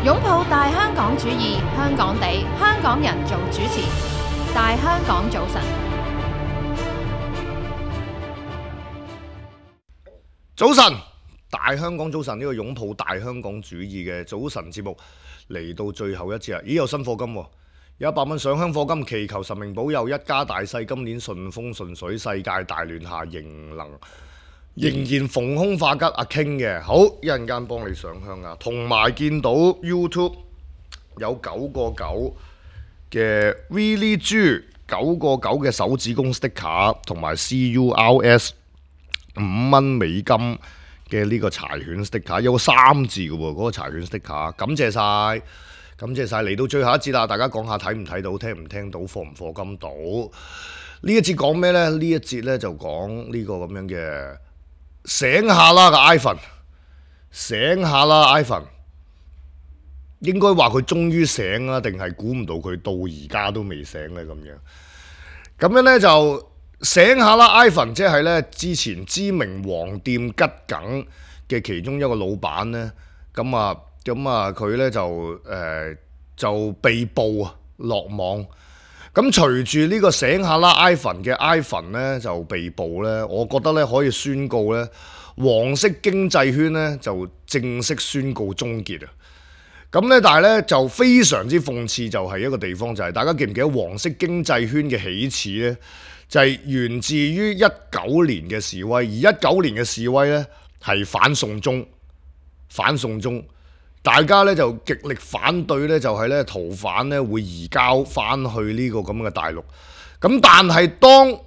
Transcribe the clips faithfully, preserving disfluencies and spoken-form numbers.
擁抱大香港主義，香港地，香港人做主持。大香港早晨，早晨，大香港早晨呢個擁抱大香港主義嘅早晨節目嚟到最後一節啦！咦，有新課金喎，有一百蚊上香課金，祈求神明保佑一家大細今年順風順水，世界大亂下仍能仍然逢凶化吉。阿 King 嘅好，一陣間幫你上香啊！同埋見到 YouTube 有九個九嘅 Really 豬九個九嘅手指公 sticker 同埋 C U R S 五蚊美金嘅呢個柴犬 sticker， 有個三字嘅喎，嗰、那個柴犬 sticker， 感謝晒，感謝晒。嚟到最後一節啦，大家講下睇唔睇到，聽唔聽到，課唔課金到？呢一節講咩呢？呢一節呢就講呢個咁樣嘅醒下啦個 iPhone， 醒下啦 iPhone， 應該話佢終於醒啦，定係估唔到佢到而家都未醒呢？咁樣，咁樣呢就。醒下啦 iPhone 即係咧之前知名黃店桔梗嘅其中一個老闆咧，咁啊咁啊佢咧就誒、呃、就被捕啊落網。咁隨住呢個醒下啦 iPhone 嘅 iPhone 咧就被捕咧，我覺得咧可以宣告咧黃色經濟圈咧就正式宣告終結啊！咁咧但係咧就非常之諷刺，就係一個地方就係、是、大家記唔記得黃色經濟圈嘅起始咧？就係源自於一九年嘅示威，而一九年嘅示威呢係反送中，反送中，大家呢就極力反對呢就係呢逃犯呢會移交翻去呢個咁嘅大陸。咁但係當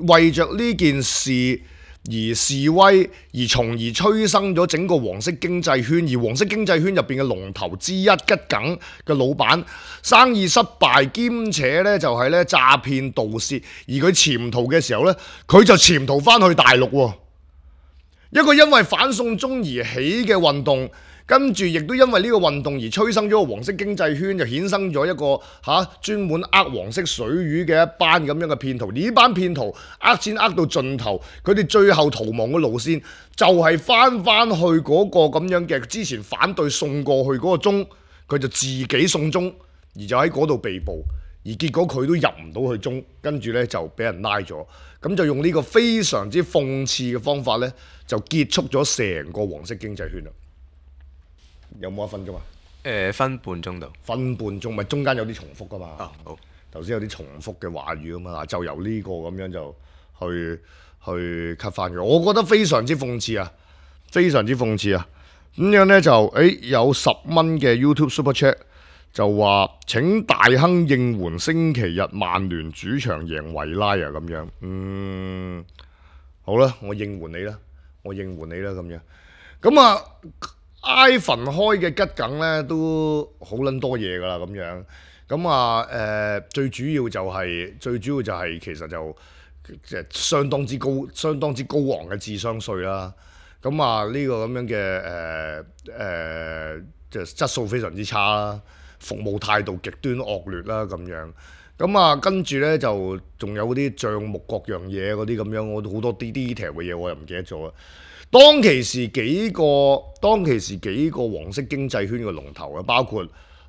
為着呢件事而示威，而從而催生咗整個黃色經濟圈，而黃色經濟圈入邊嘅龍頭之一桔梗嘅老闆生意失敗，兼且咧就係咧詐騙盜竊，而佢潛逃嘅時候咧，佢就潛逃翻去大陸喎。一個因為反送中而起嘅運動，跟住亦都因為呢個運動而催生咗個黃色經濟圈，就衍生咗一個嚇專門呃黃色水魚嘅一班咁樣嘅騙徒。而呢班騙徒呃錢呃到盡頭，佢哋最後逃亡嘅路線就係翻翻去嗰個咁樣嘅之前反對送過去嗰個中，佢就自己送中，而就喺嗰度被捕，而結果佢都入唔到去中，跟住呢就俾人拉咗。咁就用呢個非常之諷刺嘅方法呢，就結束咗成個黃色經濟圈啦。有冇一分鐘啊？誒、呃、分半鐘度，分半鐘咪中間有啲重複噶嘛？啊好，頭先有啲重複嘅話語啊嘛，嗱就由呢個咁樣就去去 cut 翻佢。我覺得非常之諷刺啊，非常之諷刺啊！咁樣呢，就誒有十蚊嘅 YouTube Super Chat 就話請大亨應援星期日曼聯主場贏維拉啊咁樣。嗯，好啦，我應援你啦，我應援你啦咁樣。咁啊〜iPhone 開嘅桔梗咧都好撚多嘢㗎啦咁樣，咁啊誒最主要就係、是、最主要就係其實就即係相當之高相當之高昂嘅智商稅啦，咁啊呢、這個咁樣嘅誒誒即係質素非常之差啦，服務態度極端惡劣啦咁樣，咁啊跟住咧就仲有啲帳目各樣嘢嗰啲咁樣，我好多啲 detail 嘅嘢我又唔記得咗啦。當其時幾個，當其時幾個黃色經濟圈嘅龍頭啊，包括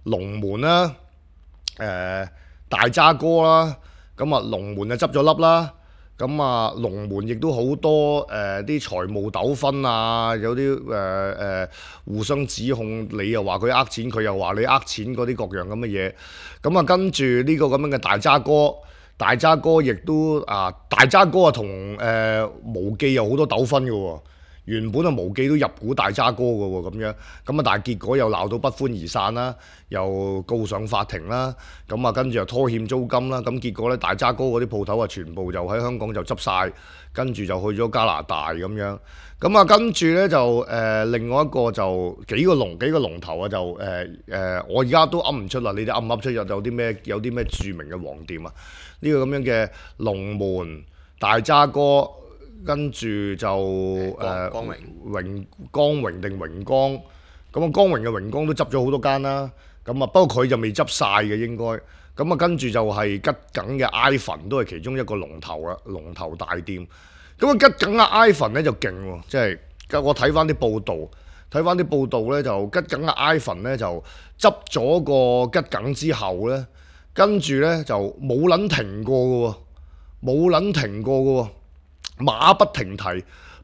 龍門啦、誒、呃、大渣哥啦，咁啊龍門就執咗笠啦，咁啊龍門亦都好多誒啲、呃、財務糾紛啊，有啲誒誒互相指控，你又話佢呃錢，佢又話你呃錢嗰啲各樣咁嘅嘢，咁啊跟住呢個咁樣嘅大渣哥。大渣哥亦都啊，大渣哥啊同誒無記有好多糾紛嘅喎。原本啊無記都入股大渣哥嘅喎，咁樣咁啊，但係結果又鬧到不歡而散啦，又告上法庭啦，咁啊跟住又拖欠租金啦，咁結果咧大渣哥嗰啲鋪頭啊全部就喺香港就執晒，跟住就去咗加拿大咁樣，咁啊跟住咧就誒、呃、另外一個就幾個龍幾個龍頭啊就誒誒、呃呃、我而家都噏唔出啦，你哋噏唔噏出有有啲咩有啲咩著名嘅黃店啊？呢、這個咁樣嘅龍門大渣哥。跟住就誒光榮榮光榮定榮光，咁啊光榮嘅榮光都執咗好多間啦，咁啊不過佢就未執晒嘅應該，咁啊跟住就係桔梗嘅 iPhone 都係其中一個龍頭啦，龍頭大店，咁啊桔梗嘅 iPhone 咧就勁喎，即係我睇翻啲報道，睇翻啲報道咧，就桔梗嘅 iPhone 咧就執咗個桔梗之後咧，跟住咧就冇撚停過嘅喎，冇撚停過嘅喎，馬不停蹄，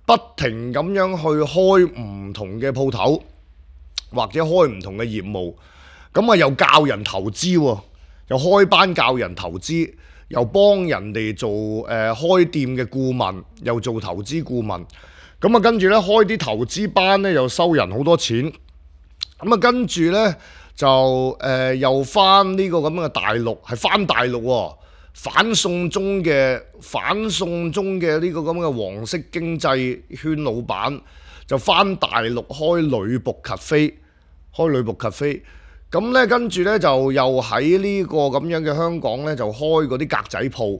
不停咁樣去開唔同嘅鋪頭，或者開唔同嘅業務，咁啊又教人投資喎，又開班教人投資，又幫人哋做誒、呃、開店嘅顧問，又做投資顧問。咁啊，跟住咧開啲投資班咧，又收人好多錢。咁啊，跟住咧就誒、呃、又翻呢個咁嘅大陸，係翻大陸喎、哦，反送中嘅反送中嘅呢個咁嘅黃色經濟圈老闆，就翻大陸開女僕咖啡，開女僕咖啡。咁咧跟住咧就又喺呢個咁樣嘅香港咧，就開嗰啲格仔鋪。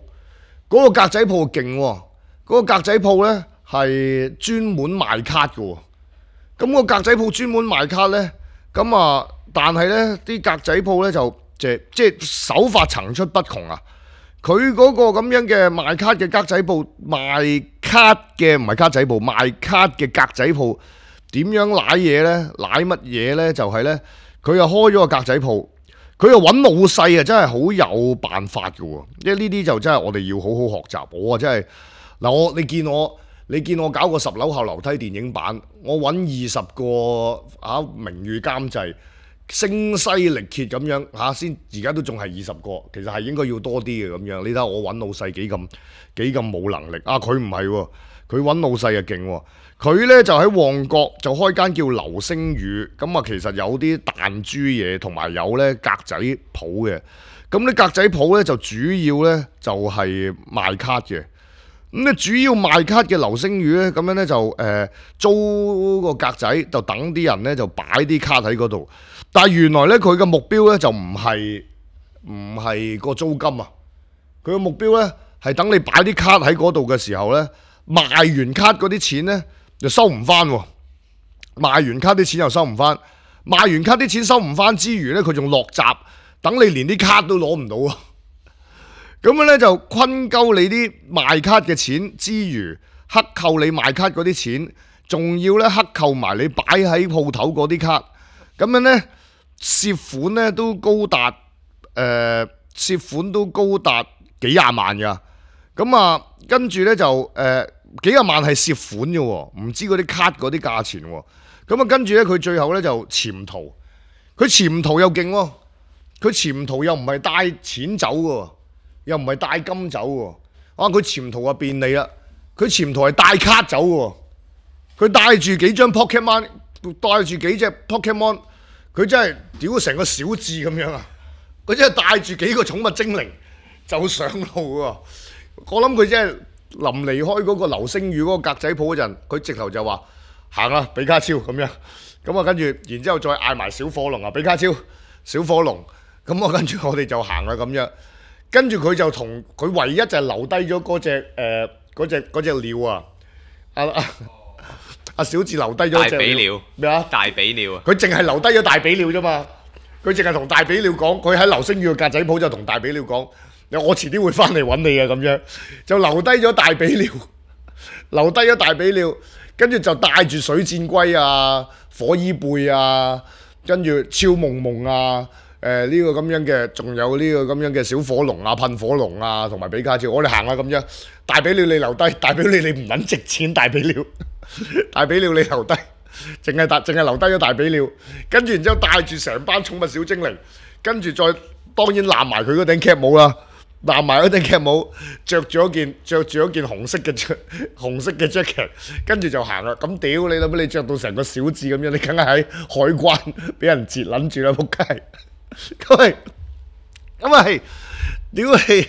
嗰、那個格仔鋪勁喎，嗰、那個格仔鋪咧。係專門賣卡嘅喎，咁個格仔鋪專門賣卡呢，咁啊，但係呢啲格仔鋪呢，就即即手法層出不窮啊！佢嗰個咁樣嘅賣卡嘅格仔鋪，賣卡嘅唔係卡仔鋪，賣卡嘅格仔鋪點樣舐嘢呢？舐乜嘢呢？就係呢，佢又開咗個格仔鋪，佢又揾老細啊，真係好有辦法嘅喎！即係呢啲就真係我哋要好好學習。我啊真係嗱，我你見我。你見我搞個十樓後樓梯電影版，我揾二十個啊名譽監製，聲嘶力竭咁樣嚇先，而家都仲係二十個，其實係應該要多啲嘅咁樣。你睇下我揾老細幾咁幾咁冇能力啊！佢唔係喎，佢揾老細啊勁喎，佢呢就喺旺角就開間叫流星雨，咁啊其實有啲彈珠嘢同埋有呢格仔鋪嘅，咁呢格仔鋪呢，就主要呢就係賣卡嘅。咁咧主要賣卡嘅流星雨咧，咁樣咧就誒、呃、租個格仔，就等啲人咧就擺啲卡喺嗰度。但係原來咧佢嘅目標咧就唔係唔係個租金啊，佢嘅目標咧係等你擺啲卡喺嗰度嘅時候咧，賣完卡嗰啲錢咧就收唔翻喎，賣完卡啲錢又收唔翻，賣完卡啲錢收唔翻之餘咧，佢仲落閘，等你連啲卡都攞唔到啊！咁樣咧就坤鳩你啲賣卡嘅錢之餘，克扣你賣卡嗰啲錢，仲要咧克扣埋你擺喺鋪頭嗰啲卡。咁樣咧涉款咧都高達誒、呃、涉款都高達幾廿萬㗎。咁啊跟住咧就誒、呃、幾廿萬係涉款嘅喎，唔知嗰啲卡嗰啲價錢喎。咁啊跟住咧佢最後咧就潛逃，佢潛逃又勁喎，佢潛逃又唔係帶錢走嘅喎。又唔係帶金走喎，啊佢潛逃啊便利啦，佢潛逃係帶卡走喎，佢帶住幾張 Pokemon， 帶住幾隻 Pokemon， 佢真係屌成個小智咁樣啊！佢真係帶住幾個寵物精靈就上路喎，我諗佢真係臨離開嗰個流星雨嗰個格仔鋪嗰陣，佢直頭就話行啦，比卡超咁樣，咁啊跟住然之後再嗌埋小火龍啊，比卡超、小火龍，咁啊跟住我哋就行啦咁樣。跟住佢就同佢唯一就係留低咗嗰隻誒嗰隻嗰隻鳥啊！阿阿阿小智留低咗隻鳥咩啊？大比鳥啊！佢淨係留低咗大比鳥啫嘛！佢淨係同大比鳥講，佢喺流星雨嘅格仔鋪就同大比鳥講：我遲啲會翻嚟揾你嘅咁樣，就留低咗大比鳥，留低咗大比鳥，跟住就帶住水箭龜啊、火衣貝啊，跟住超夢夢啊。誒呢、呃這個咁樣嘅，仲有呢個咁樣嘅小火龍啊、噴火龍啊，同埋比卡超，我哋行啦咁樣。大比鳥你留低，大比鳥你唔撚值錢，大比鳥，大比鳥你留低，淨係大淨係留低咗大比鳥，跟住然之後帶住成班寵物小精靈，跟住再當然攬埋佢嗰頂 cap 帽啦，攬埋嗰頂 cap 帽，着住一件着住一件紅色嘅紅色嘅 jacket， 跟住就行啦。咁屌你諗乜？你着到成個小智咁樣，你梗係喺海關俾人截撚住啦，仆街！咁係，咁係，屌你！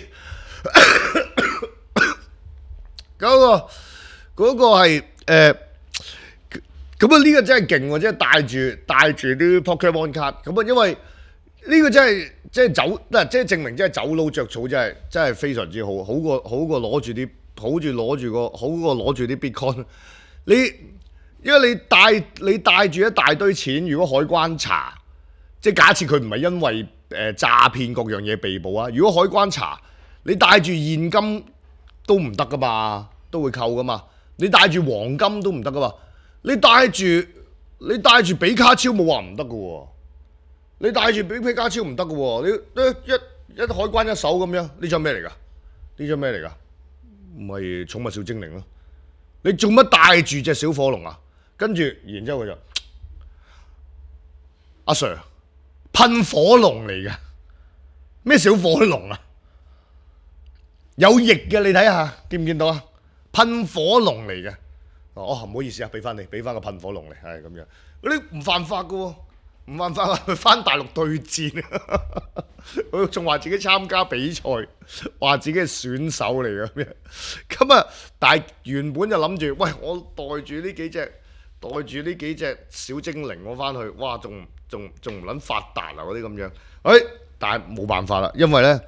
嗰個嗰個係誒，咁啊呢個真係勁喎！即係帶住帶住啲 Pokemon 卡，咁啊因為呢個真係即係走，嗱即係證明即係走佬著草，真係真係非常之好，好過好過攞住啲，好住攞住個，好過攞住啲 Bitcoin。你因為你帶你帶住一大堆錢，如果海關查。即係假設佢唔係因為誒、呃、詐騙各樣嘢被捕啊！如果海關查，你帶住現金都唔得噶嘛，都會扣噶嘛。你帶住黃金都唔得噶嘛。你帶住你帶住比卡超冇話唔得嘅喎，你帶住比比卡超唔得嘅喎，你一一一海關一手咁樣，呢張咩嚟㗎？呢張咩嚟㗎？唔係寵物小精靈咯。你做乜帶住隻小火龍啊？跟住然之後佢就阿 Sir 噴火龍嚟嘅，咩小火龍啊？有翼嘅，你睇下見唔見到啊？噴火龍嚟嘅。哦，唔好意思啊，俾翻你，俾翻個噴火龍嚟，係咁樣。嗰啲唔犯法嘅喎，唔犯法啊，佢翻大陸對戰，佢仲話自己參加比賽，話自己係選手嚟嘅咁樣。咁啊，但係原本就諗住，喂，我帶住呢幾隻，帶住呢幾隻小精靈我翻去，哇，仲仲仲唔撚發達啊嗰啲咁樣。誒、哎，但係冇辦法啦，因為咧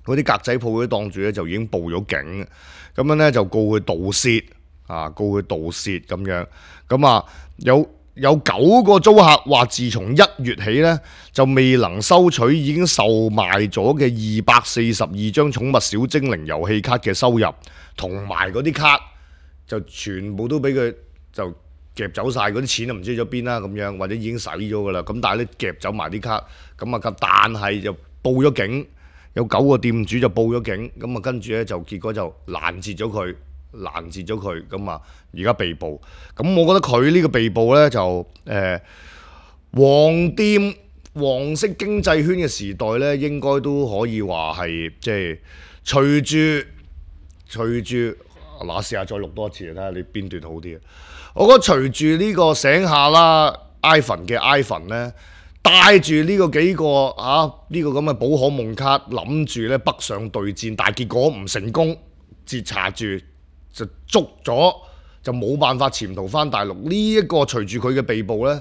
嗰啲格仔鋪嗰啲檔主咧就已經報咗警，咁樣咧就告佢盜竊。啊，告佢盜竊咁樣，咁啊有有九個租客話，自從一月起咧就未能收取已經售賣咗嘅二百四十二張寵物小精靈遊戲卡嘅收入，同埋嗰啲卡就全部都俾佢就夾走晒，嗰啲錢就唔知去咗邊啦咁樣，或者已經使咗噶啦，咁但係咧夾走埋啲卡，咁啊但係就報咗警，有九個店主就報咗警，咁啊跟住咧就結果就攔截咗佢。攔截咗佢，咁啊而家被捕。咁我覺得佢呢個被捕呢，就誒、呃、黃店黃色經濟圈嘅時代呢，應該都可以話係即係隨住隨住嗱，試下再錄多一次睇下你邊段好啲啊！我覺得隨住呢個醒下啦 ，iPhone 嘅 iPhone 呢，帶住呢個幾個啊呢、呢個咁嘅寶可夢卡，諗住呢北上對戰，但係結果唔成功，截查住。就捉咗，就冇辦法潛逃翻大陸。呢、這、一個隨住佢嘅被捕呢，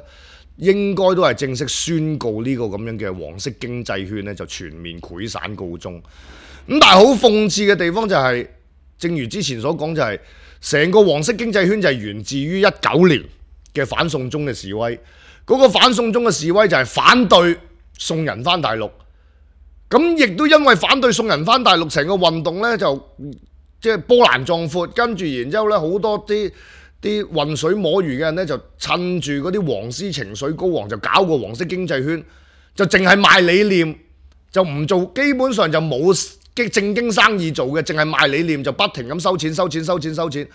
應該都係正式宣告呢個咁樣嘅黃色經濟圈呢就全面潰散告終。咁但係好諷刺嘅地方就係、是，正如之前所講、就是，就係成個黃色經濟圈就係源自於一九年嘅反送中嘅示威。嗰、那個反送中嘅示威就係反對送人翻大陸。咁亦都因為反對送人翻大陸，成個運動呢就。即係波瀾壯闊，跟住然之後咧，好多啲啲渾水摸魚嘅人咧，就趁住嗰啲黃絲情緒高昂，就搞個黃色經濟圈，就淨係賣理念，就唔做，基本上就冇正經生意做嘅，淨係賣理念，就不停咁收錢、收錢、收錢、收錢，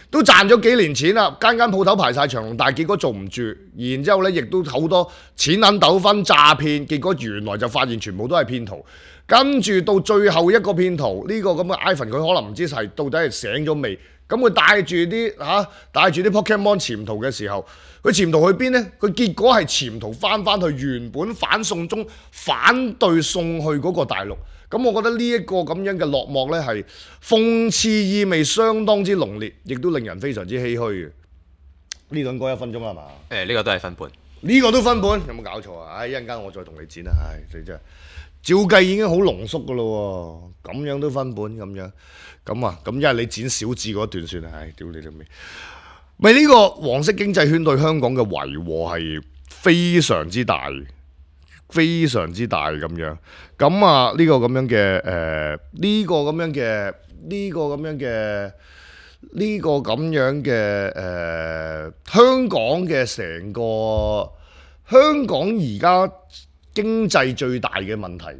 都賺咗幾年錢啦，間間鋪頭排晒長龍，但係結果做唔住，然之後咧亦都好多錢銀糾紛、詐騙，結果原來就發現全部都係騙徒。跟住到最後一個騙徒，呢、這個咁嘅 iPhone 佢可能唔知係到底係醒咗未？咁佢帶住啲嚇帶住啲 Pokemon 潛逃嘅時候，佢潛逃去邊呢？佢結果係潛逃翻翻去原本反送中反對送去嗰個大陸。咁我覺得呢一個咁樣嘅落幕呢，係諷刺意味相當之濃烈，亦都令人非常之唏噓嘅。呢個應該一分鐘係嘛？誒，呢、這個都係分半。呢個都分半，有冇搞錯啊？唉，一陣間我再同你剪啊！唉，你真係〜照計已經好濃縮噶咯喎，咁樣都分本咁樣，咁啊，咁因為你剪小字嗰段算啦，唉，屌你老味！咪呢個黃色經濟圈對香港嘅遺禍係非常之大，非常之大咁樣。咁啊，呢個咁樣嘅誒，呢個咁樣嘅，呢個咁樣嘅，呢個咁樣嘅誒，香港嘅成個香港而家。經濟最大嘅問題，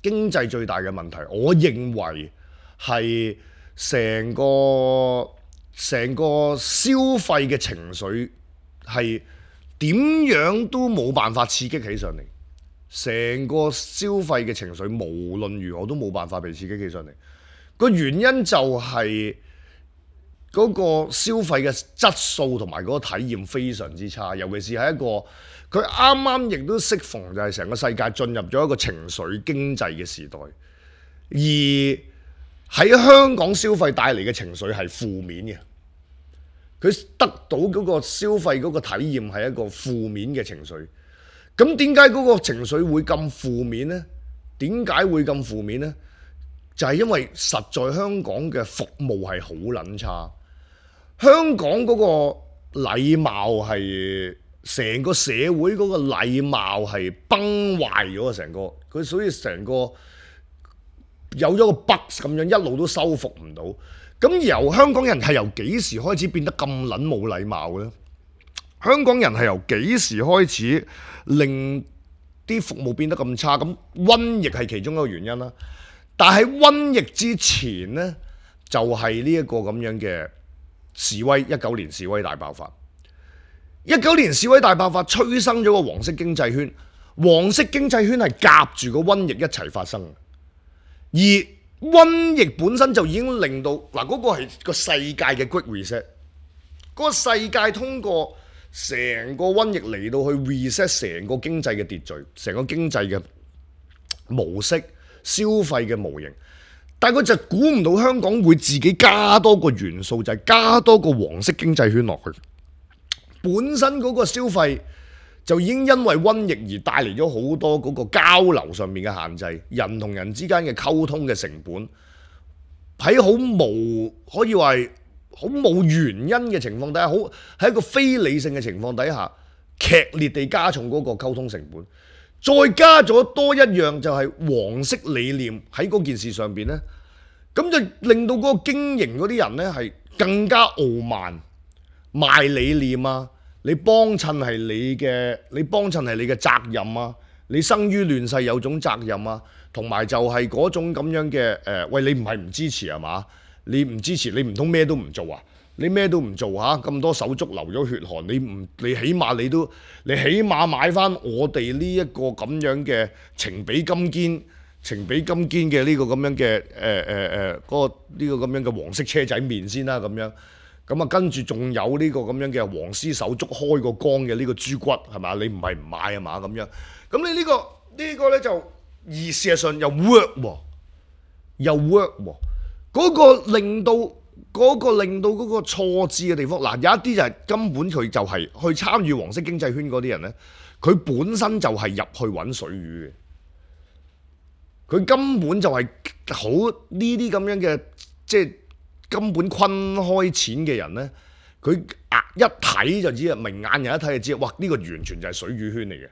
經濟最大嘅問題，我認為係成個成個消費嘅情緒係點樣都冇辦法刺激起上嚟，成個消費嘅情緒無論如何都冇辦法被刺激起上嚟。個原因就係嗰個消費嘅質素同埋嗰個體驗非常之差，尤其是係一個。佢啱啱亦都適逢就係成個世界進入咗一個情緒經濟嘅時代，而喺香港消費帶嚟嘅情緒係負面嘅，佢得到嗰個消費嗰個體驗係一個負面嘅情緒。咁點解嗰個情緒會咁負面呢？點解會咁負面呢？就係因為實在香港嘅服務係好撚差，香港嗰個禮貌係。成個社會嗰個禮貌係崩壞咗啊！成個佢所以成個有咗個 bug 咁樣，一路都修復唔到。咁由香港人係由幾時開始變得咁撚冇禮貌呢？香港人係由幾時開始令啲服務變得咁差？咁瘟疫係其中一個原因啦。但係瘟疫之前呢，就係呢一個咁樣嘅示威，一九年示威大爆發。一九年示威大爆發催生咗個黃色經濟圈，黃色經濟圈係夾住個瘟疫一齊發生。而瘟疫本身就已經令到嗱，嗰個係個世界嘅 Great Reset， 嗰個世界通過成個瘟疫嚟到去 reset 成個經濟嘅秩序，成個經濟嘅模式、消費嘅模型。但係佢就估唔到香港會自己加多個元素，就係加多個黃色經濟圈落去。本身嗰個消費就已經因為瘟疫而帶嚟咗好多嗰個交流上面嘅限制，人同人之間嘅溝通嘅成本喺好無可以話係好冇原因嘅情況底下，好喺一個非理性嘅情況底下，劇烈地加重嗰個溝通成本，再加咗多一樣就係黃色理念喺嗰件事上邊呢，咁就令到嗰個經營嗰啲人呢係更加傲慢，賣理念啊！你幫襯係你嘅，你幫襯係你嘅責任啊！你生於亂世有種責任啊，同埋就係嗰種咁樣嘅誒、呃，喂，你唔係唔支持係嘛？你唔支持，你唔通咩都唔做啊？你咩都唔做嚇，咁多手足流咗血汗，你唔你起碼你都你起碼買翻我哋呢一個咁樣嘅情比金堅、情比金堅嘅呢個咁樣嘅誒誒誒嗰個呢個咁樣嘅黃色車仔麵先啦，咁樣。咁啊，跟住仲有呢個咁樣嘅黃絲手足開個缸嘅呢個豬骨係嘛？你唔係唔買啊嘛咁樣。咁你呢個呢個咧就而事實上又 work 喎，又 work 喎。嗰個令到嗰個令到嗰個錯置嘅地方，嗱有一啲就係根本佢就係去參與黃色經濟圈嗰啲人咧，佢本身就係入去揾水魚嘅，佢根本就係好呢啲咁樣嘅即係。根本坤開錢嘅人呢，佢一睇就知啊，明眼人一睇就知，哇！呢、這個完全就係水魚圈嚟嘅。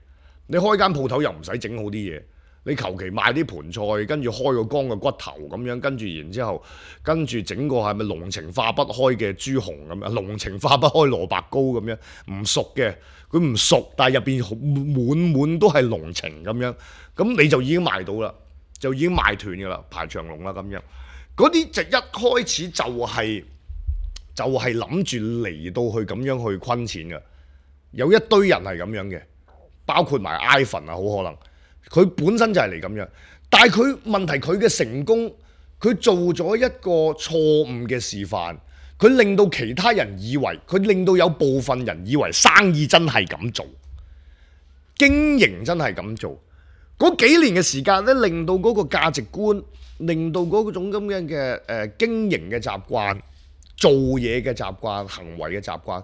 你開間鋪頭又唔使整好啲嘢，你求其賣啲盤菜，跟住開個缸嘅骨頭咁樣，跟住然之後，跟住整個係咪濃情化不開嘅豬紅咁樣，濃情化不開蘿蔔糕咁樣，唔熟嘅，佢唔熟，但係入邊滿滿都係濃情咁樣，咁你就已經賣到啦，就已經賣斷㗎啦，排長龍啦咁樣。嗰啲就一開始就係、是、就係諗住嚟到去咁樣去坤錢嘅，有一堆人係咁樣嘅，包括埋 Ivan 啊，好可能佢本身就係嚟咁樣，但係佢問題佢嘅成功，佢做咗一個錯誤嘅示範，佢令到其他人以為，佢令到有部分人以為生意真係咁做，經營真係咁做，嗰幾年嘅時間咧，令到嗰個價值觀。令到嗰種咁樣嘅誒經營嘅習慣、做嘢嘅習慣、行為嘅習慣，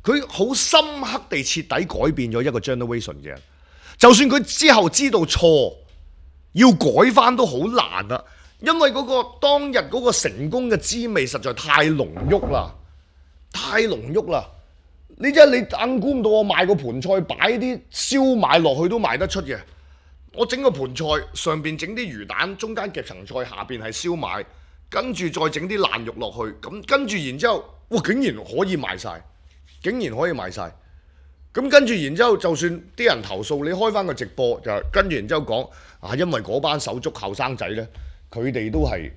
佢好深刻地徹底改變咗一個 generation 嘅人。就算佢之後知道錯，要改翻都好難啦，因為嗰個當日嗰個成功嘅滋味實在太濃郁啦，太濃郁啦！你真係你硬估唔到我賣個盤菜擺啲燒賣落去都賣得出嘅。我整個盤菜上邊整啲魚蛋，中間夾層菜，下邊係燒賣，跟住再整啲爛肉落去，咁跟住然之後，哇！竟然可以賣晒，竟然可以賣晒。咁跟住然之後，就算啲人投訴，你開翻個直播就跟住然之後講啊，因為嗰班手足後生仔呢，佢哋都係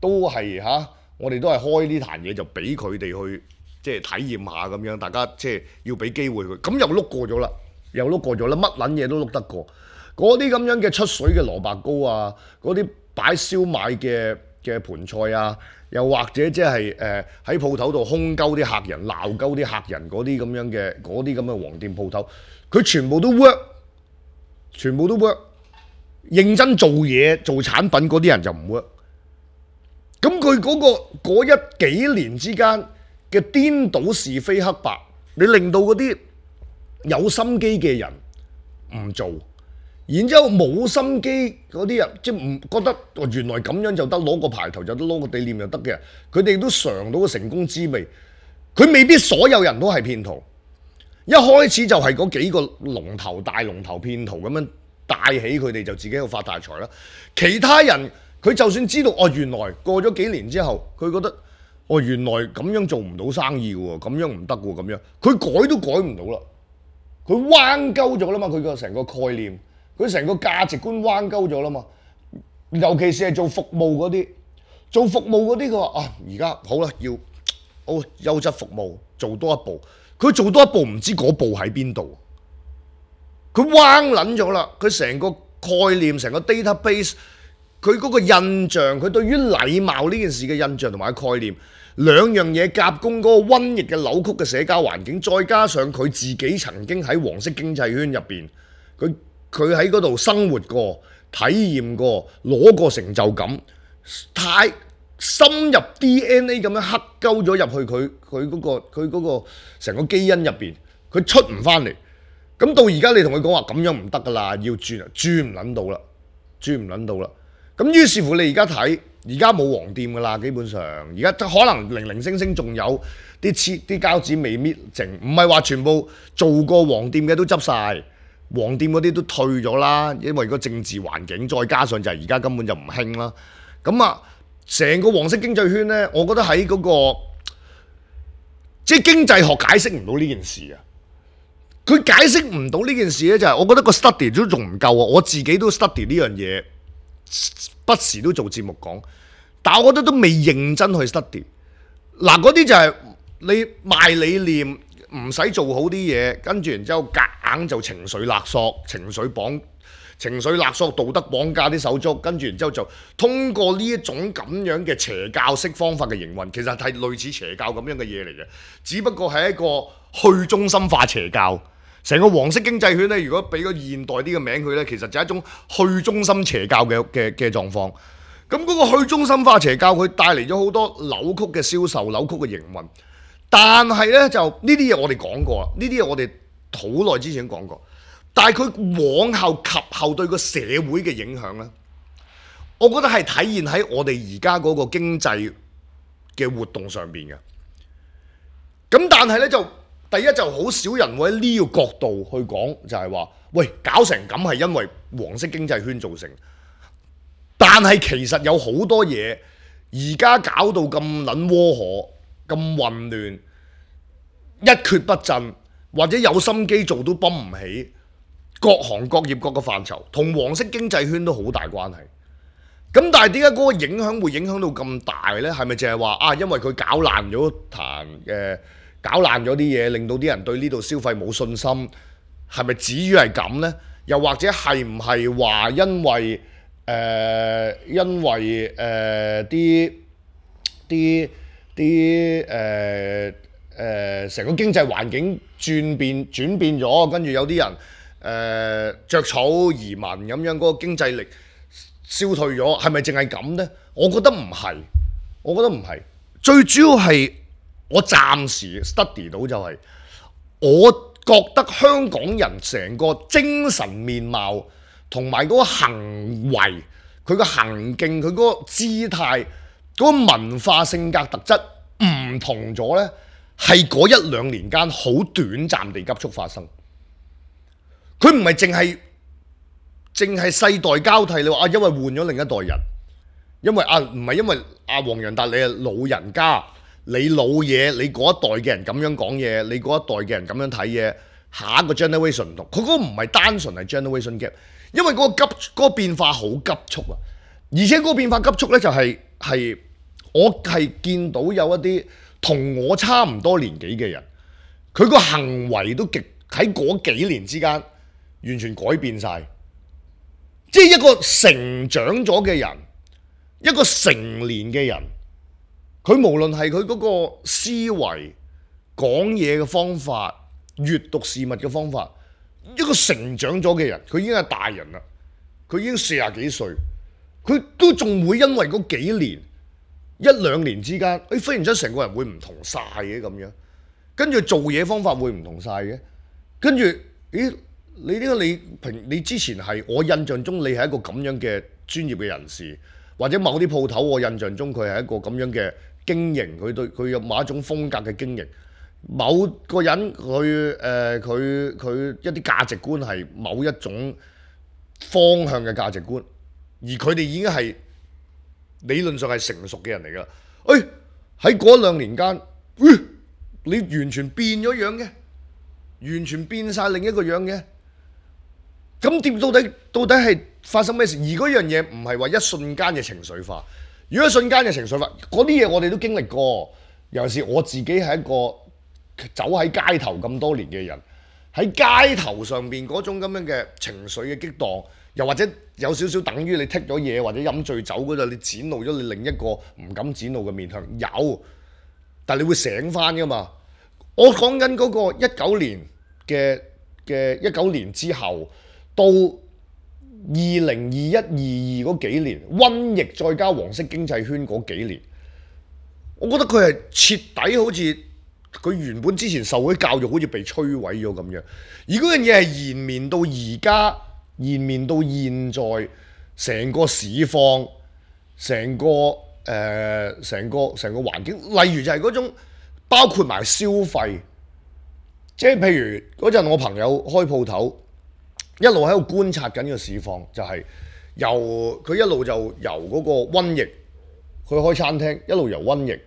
都係嚇、啊，我哋都係開呢壇嘢就俾佢哋去即係體驗下咁樣，大家即係要俾機會佢，咁又碌過咗啦，又碌過咗啦，乜撚嘢都碌得過。嗰啲咁樣嘅出水嘅蘿蔔糕啊，嗰啲擺燒賣嘅嘅盤菜啊，又或者即係誒喺鋪頭度兇鳩啲客人、鬧鳩啲客人嗰啲咁樣嘅嗰啲咁嘅黃店鋪頭，佢全部都 work，全部都 work。認真做嘢做產品嗰啲人就唔 work。咁佢嗰個嗰一幾年之間嘅顛倒是非黑白，你令到嗰啲有心機嘅人唔做。然之後冇心機嗰啲人，即係唔覺得原來咁樣就得，攞個牌頭就得，攞個地念就得嘅，佢哋都嘗到個成功滋味。佢未必所有人都係騙徒，一開始就係嗰幾個龍頭大龍頭騙徒咁樣帶起佢哋，就自己喺度發大財啦。其他人佢就算知道哦，原來過咗幾年之後，佢覺得哦，原來咁樣做唔到生意嘅喎，咁樣唔得嘅喎，咁樣佢改都改唔到啦，佢彎鳩咗啦嘛，佢個成個概念，佢成個價值觀彎鳩咗啦嘛，尤其是係做服務嗰啲，做服務嗰啲佢話啊，而家好啦，要好優質服務，做多一步，佢做多一步唔知嗰步喺邊度，佢彎撚咗啦，佢成個概念，成個 database。佢嗰個印象，佢對於禮貌呢件事嘅印象同埋概念，兩樣嘢夾攻嗰個瘟疫嘅扭曲嘅社交環境，再加上佢自己曾經喺黃色經濟圈入邊，佢佢喺嗰度生活過、體驗過、攞過成就感，太深入 D N A 咁樣刻鳩咗入去佢佢嗰個佢嗰個成個基因入邊，佢出唔翻嚟。咁到而家你同佢講話咁樣唔得噶啦，要轉啊，轉唔撚到啦，轉唔撚到啦。咁於是乎你而家睇，而家冇黃店噶啦，基本上而家可能零零星星仲有啲黐啲膠紙未搣淨，唔係話全部做過黃店嘅都執晒，黃店嗰啲都退咗啦，因為個政治環境，再加上就係而家根本就唔興啦。咁啊，成個黃色經濟圈呢，我覺得喺嗰個即係經濟學解釋唔到呢件事啊。佢解釋唔到呢件事呢，就係我覺得個 study 都仲唔夠啊。我自己都 study 呢樣嘢。不時都做節目講，但我覺得都未認真去 study。嗱，嗰啲就係你賣理念，唔使做好啲嘢，跟住然之後夾硬就情緒勒索、情緒綁、情緒勒索、道德綁架啲手足，跟住然之後就通過呢一種咁樣嘅邪教式方法嘅營運，其實係類似邪教咁樣嘅嘢嚟嘅，只不過係一個去中心化邪教。成個黃色經濟圈咧，如果俾個現代啲嘅名佢咧，其實就係一種去中心邪教嘅嘅嘅狀況。咁嗰個去中心化邪教，佢帶嚟咗好多扭曲嘅銷售、扭曲嘅營運。但係咧，就呢啲嘢我哋講過啦，呢啲嘢我哋好耐之前講過。但係佢往後及後對個社會嘅影響咧，我覺得係體現喺我哋而家嗰個經濟嘅活動上邊嘅。咁但係咧就。第一就好少人會喺呢個角度去講，就係話，喂，搞成咁係因為黃色經濟圈造成。但係其實有好多嘢，而家搞到咁撚窩火、咁混亂、一蹶不振，或者有心機做都泵唔起，各行各業各個範疇，同黃色經濟圈都好大關係。咁但係點解嗰個影響會影響到咁大呢？係咪淨係話啊？因為佢搞爛咗壇嘅？搞爛咗啲嘢，令到啲人對呢度消費冇信心，係咪至於係咁呢？又或者係唔係話因為誒、呃、因為誒啲啲啲誒誒成個經濟環境轉變轉變咗，跟住有啲人誒著草移民咁樣，嗰、嗰個經濟力消退咗，係咪淨係咁呢？我覺得唔係，我覺得唔係，最主要係。我暫時 study 到就係，我覺得香港人成個精神面貌同埋嗰個行為，佢個行徑，佢嗰個姿態，嗰個文化性格特質唔同咗呢，係嗰一兩年間好短暫地急速發生。佢唔係淨係淨係世代交替，你話啊，因為換咗另一代人，因為啊唔係因為阿黃洋達你係老人家。你老嘢，你嗰一代嘅人咁樣講嘢，你嗰一代嘅人咁樣睇嘢，下一個 generation 唔同，佢嗰個唔係單純係 generation gap，因為嗰個急嗰個變化好急速啊，而且嗰個變化急速呢，就係係我係見到有一啲同我差唔多年紀嘅人，佢個行為都極喺嗰幾年之間完全改變晒，即係一個成長咗嘅人，一個成年嘅人。佢無論係佢嗰個思維、講嘢嘅方法、閱讀事物嘅方法，一個成長咗嘅人，佢已經係大人啦，佢已經四十幾歲，佢都仲會因為嗰幾年、一兩年之間，誒忽然之間成個人會唔同晒嘅咁樣，跟住做嘢方法會唔同晒嘅，跟住，咦？你呢個你平你之前係我印象中你係一個咁樣嘅專業嘅人士，或者某啲鋪頭我印象中佢係一個咁樣嘅。經營佢對佢有某一種風格嘅經營，某個人佢誒佢佢一啲價值觀係某一種方向嘅價值觀，而佢哋已經係理論上係成熟嘅人嚟㗎。誒喺嗰兩年間，呃，你完全變咗樣嘅，完全變晒另一個樣嘅。咁點到底到底係發生咩事？而嗰樣嘢唔係話一瞬間嘅情緒化。如果一瞬間嘅情緒化，嗰啲嘢我哋都經歷過。尤其是我自己係一個走喺街頭咁多年嘅人，喺街頭上邊嗰種咁樣嘅情緒嘅激盪，又或者有少少等於你剔咗嘢或者飲醉酒嗰陣，你展露咗你另一個唔敢展露嘅面向，有，但係你會醒翻噶嘛？我講緊嗰個一九年嘅嘅一九年之後到二零二一、二二嗰幾年，瘟疫再加黃色經濟圈嗰幾年，我覺得佢係徹底好似佢原本之前受嗰啲教育好似被摧毀咗咁樣，而嗰樣嘢係延綿到而家，延綿到現在，成個市況，成個誒成個成個環境，例如就係嗰種包括埋消費，即係譬如嗰陣我朋友開鋪頭，一路喺度觀察緊個市況，就係由佢一路就由嗰個瘟疫，佢開餐廳一路由瘟疫。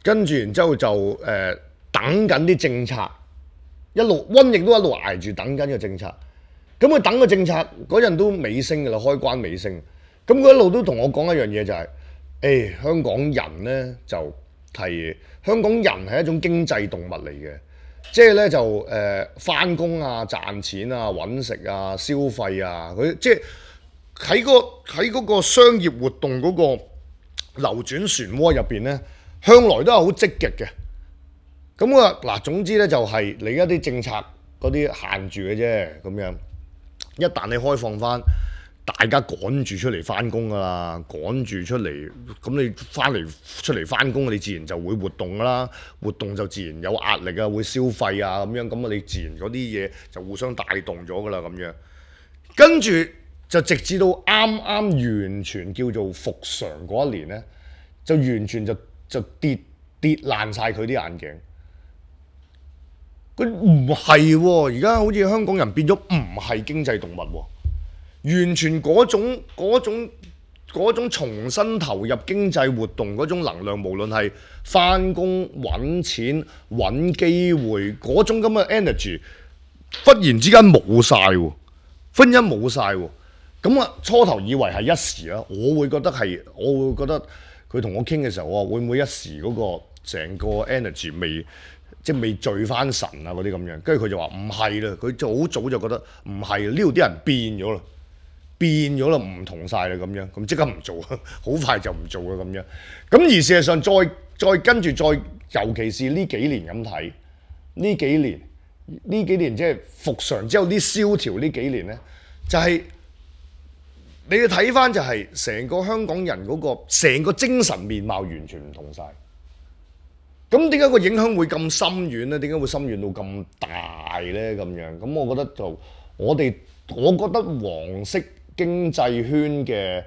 跟住然之後就誒、呃、等緊啲政策，一路瘟疫都一路捱住等緊個政策。咁佢等個政策嗰陣都尾聲㗎啦，開關尾聲。咁佢一路都同我講一樣嘢就係、是，誒、欸、香港人咧就係香港人係一種經濟動物嚟嘅，即係咧就誒返工啊、賺錢啊、揾食啊、消費啊，佢即係喺、個喺嗰個商業活動嗰個流轉漩渦入邊咧。向來都係好積極嘅，咁啊嗱，總之咧就係你一啲政策嗰啲限住嘅啫，咁樣一旦你開放翻，大家趕住出嚟翻工噶啦，趕住出嚟，咁你翻嚟出嚟翻工，你自然就會活動噶啦，活動就自然有壓力啊，會消費啊咁樣，咁啊你自然嗰啲嘢就互相帶動咗噶啦咁樣，跟住就直至到啱啱完全叫做復常嗰一年咧，就完全就。就跌跌爛晒佢啲眼鏡，佢唔係喎，而家好似香港人變咗唔係經濟動物喎，完全嗰種嗰種嗰種重新投入經濟活動嗰種能量，無論係返工揾錢揾機會嗰種咁嘅 energy，忽然之間冇晒喎，忽然間冇晒喎，咁啊初頭以為係一時啊，我會覺得係，我會覺得。佢同我傾嘅時候，我話會唔會一時嗰個成個 energy 未即係未聚翻神啊嗰啲咁樣，跟住佢就話唔係啦，佢就好早就覺得唔係，呢度啲人變咗啦，變咗啦，唔同晒啦咁樣，咁即刻唔做，好快就唔做啦咁樣。咁而事實上再再跟住再，尤其是呢幾年咁睇，呢幾年呢幾年即係復常之後啲蕭條呢幾年咧，就係、是。你要睇翻就係成個香港人嗰個成個精神面貌完全唔同晒。咁點解個影響會咁深遠咧？點解會深遠到咁大咧？咁樣咁，我覺得就我哋，我覺得黃色經濟圈嘅，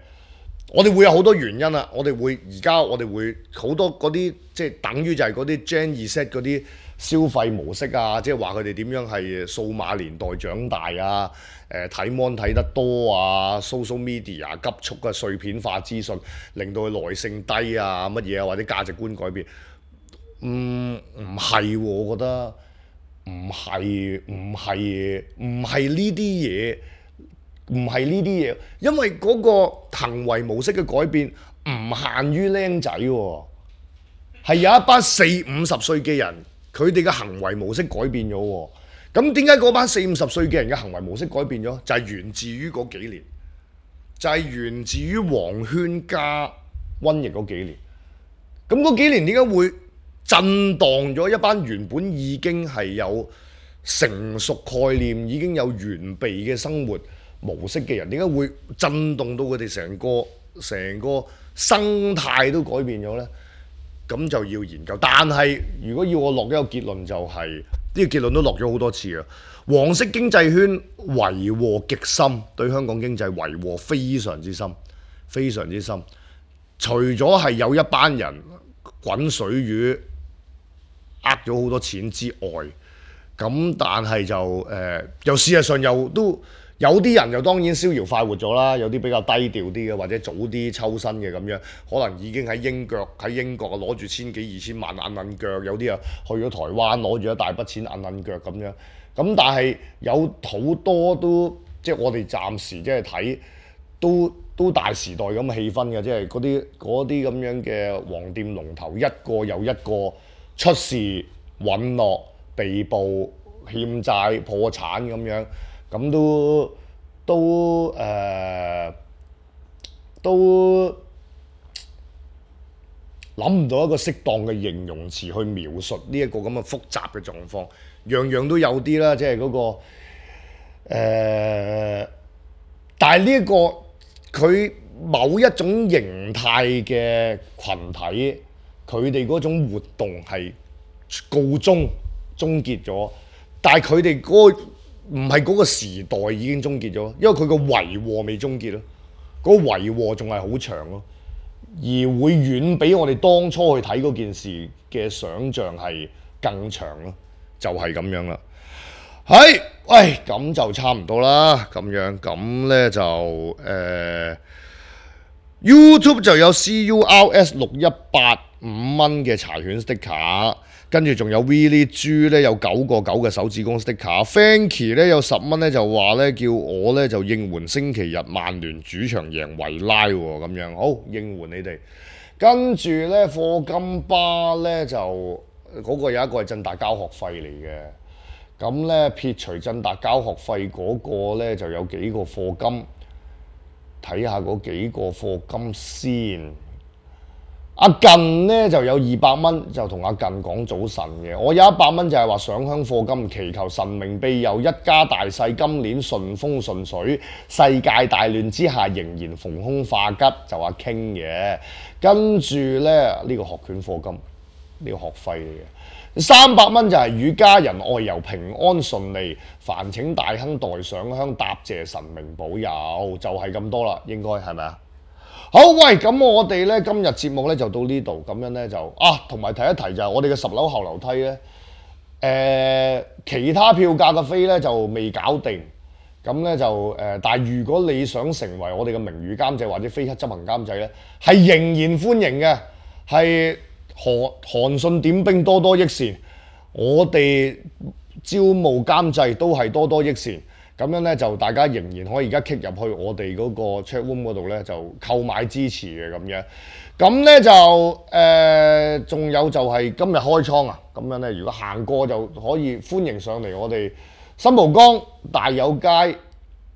我哋會有好多原因啦。我哋會而家我哋會好多嗰啲即係等於就係嗰啲 Gen Z 嗰啲消費模式啊，即係話佢哋點樣係數碼年代長大啊。誒睇 mon 睇得多啊 ，social media 急速嘅碎片化資訊，令到佢耐性低啊，乜嘢啊，或者價值觀改變，唔唔係喎，我覺得唔係唔係唔係呢啲嘢，唔係呢啲嘢，因為嗰個行為模式嘅改變唔限於僆仔喎，係有一班四五十歲嘅人，佢哋嘅行為模式改變咗喎。咁點解嗰班四五十歲嘅人嘅行為模式改變咗？就係、是、源自於嗰幾年，就係、是、源自於黃圈加瘟疫嗰幾年。咁嗰幾年點解會震盪咗一班原本已經係有成熟概念、已經有完備嘅生活模式嘅人？點解會震動到佢哋成個成個生態都改變咗呢？咁就要研究。但係如果要我落一個結論，就係、是。呢個結論都落咗好多次啊！黃色經濟圈為禍極深，對香港經濟為禍非常之深，非常之深。除咗係有一班人滾水魚，呃咗好多錢之外，咁但係就誒，又、呃、事實上又都有啲人又當然逍遙快活咗啦，有啲比較低調啲嘅，或者早啲抽身嘅咁樣，可能已經喺英國喺英國攞住千幾二千萬揞揞腳，有啲啊去咗台灣攞住一大筆錢揞揞腳咁樣。咁但係有好多都即係我哋暫時即係睇都都大時代咁嘅氣氛嘅，即係嗰啲嗰啲咁樣嘅黃店龍頭一個又一個出事隕落被捕欠債破產咁樣。咁都都誒、呃、都諗唔到一個適當嘅形容詞去描述呢一個咁嘅複雜嘅狀況，樣樣都有啲啦，即係嗰、嗰個誒、呃，但係呢一個佢某一種形態嘅群體，佢哋嗰種活動係告終終結咗，但係佢哋嗰個唔係嗰個時代已經終結咗，因為佢個遺禍未終結咯，嗰、嗰個遺禍仲係好長咯，而會遠比我哋當初去睇嗰件事嘅想像係更長咯，就係、係、咁樣啦。係，喂，咁就差唔多啦，咁樣咁咧就誒、呃、YouTube 就有 C U R S 六一八五蚊嘅柴犬 sticker。跟住仲有 Willie 豬咧有九個九嘅手指公 sticker，Fanky 咧有十蚊咧就話咧叫我咧就應援星期日曼聯主場贏維拉喎，咁樣好應援你哋。跟住咧課金巴咧就嗰、那個有一個係振達交學費嚟嘅，咁咧撇除振達交學費嗰個咧就有幾個課金，睇下嗰幾個課金先。阿近咧就有二百蚊，就同阿近講早晨嘅。我有一百蚊就係話上香課金，祈求神明庇佑，一家大細今年順風順水，世界大亂之下仍然逢凶化吉，就話傾嘅。跟住咧呢、這個學拳課金，呢、這個學費嚟嘅。三百蚊就係與家人外遊平安順利，煩請大亨代上香答謝神明保佑，就係、是、咁多啦，應該係咪啊？好，喂，咁我哋咧今日節目咧就到呢度，咁樣咧就啊，同埋提一提就係我哋嘅十樓後樓梯咧，誒、呃、其他票價嘅飛咧就未搞定，咁咧就誒、呃，但係如果你想成為我哋嘅名譽監製或者非黑執行監製咧，係仍然歡迎嘅，係韓韓信點兵多多益善，我哋招募監製都係多多益善。咁樣咧就大家仍然可以而家 kick 入去我哋嗰個 chat room 嗰度咧就購買支持嘅咁樣，咁咧就誒仲、呃、有就係今日開倉啊，咁樣咧如果行過就可以歡迎上嚟我哋新蒲崗大有街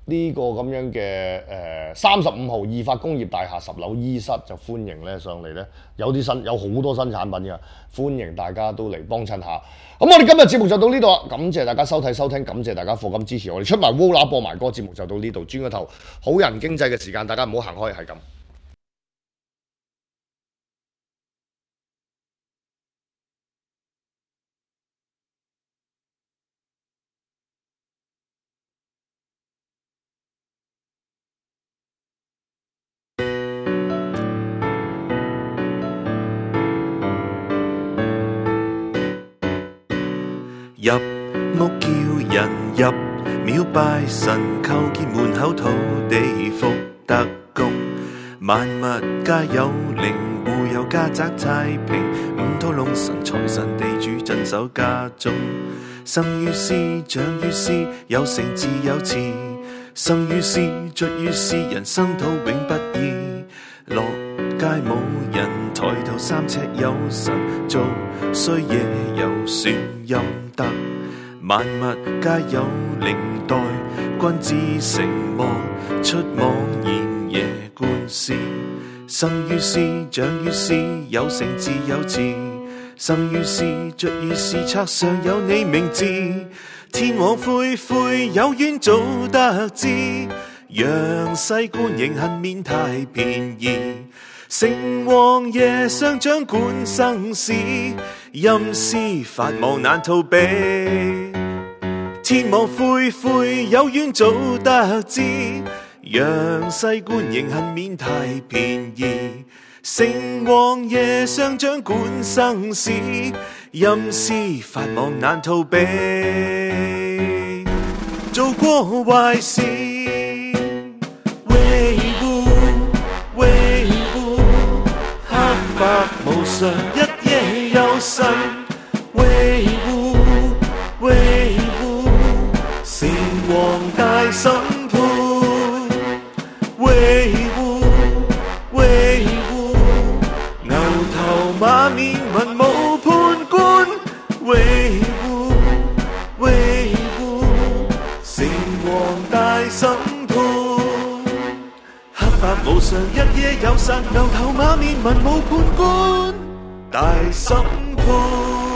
呢個咁樣嘅誒三十五號義發工業大廈十樓 E 室就歡迎咧上嚟咧，有啲新有好多新產品嘅，歡迎大家都嚟幫襯下。咁我哋今日節目就到呢度啦，感謝大家收睇收聽，感謝大家課金支持我哋，出埋 Wola 播埋歌，節目就到呢度，轉個頭好人經濟嘅時間，大家唔好行開，係咁。入屋叫人入廟拜神，叩見門口土地福德公，萬物皆有靈，戶有家宅太平，五土龍神財神地主鎮守家中，生於斯長於斯，有成自有次，生於斯卒於斯，人生土永不易，落街冇人，抬頭三尺有神，做衰嘢有算陰德，萬物皆有靈，待君子成魔，出妄言夜觀師，生於斯長於斯，有成自有次，生於斯卒於斯，冊上有你名字，天網恢恢，有冤早得知，陽世官刑恨免太便宜，城隍爺上掌管生死，陰司法網難逃避，天網恢恢，有冤早得知，陽世官刑恨免太便宜，城隍爺上掌管生死，陰司法網難逃避，做過壞事常，一夜有神維護維護，城隍大審判維護維護，牛頭馬面文武判官維護維護，城隍大審判。黑白無常，一夜有神，牛頭馬面文武判官大審判。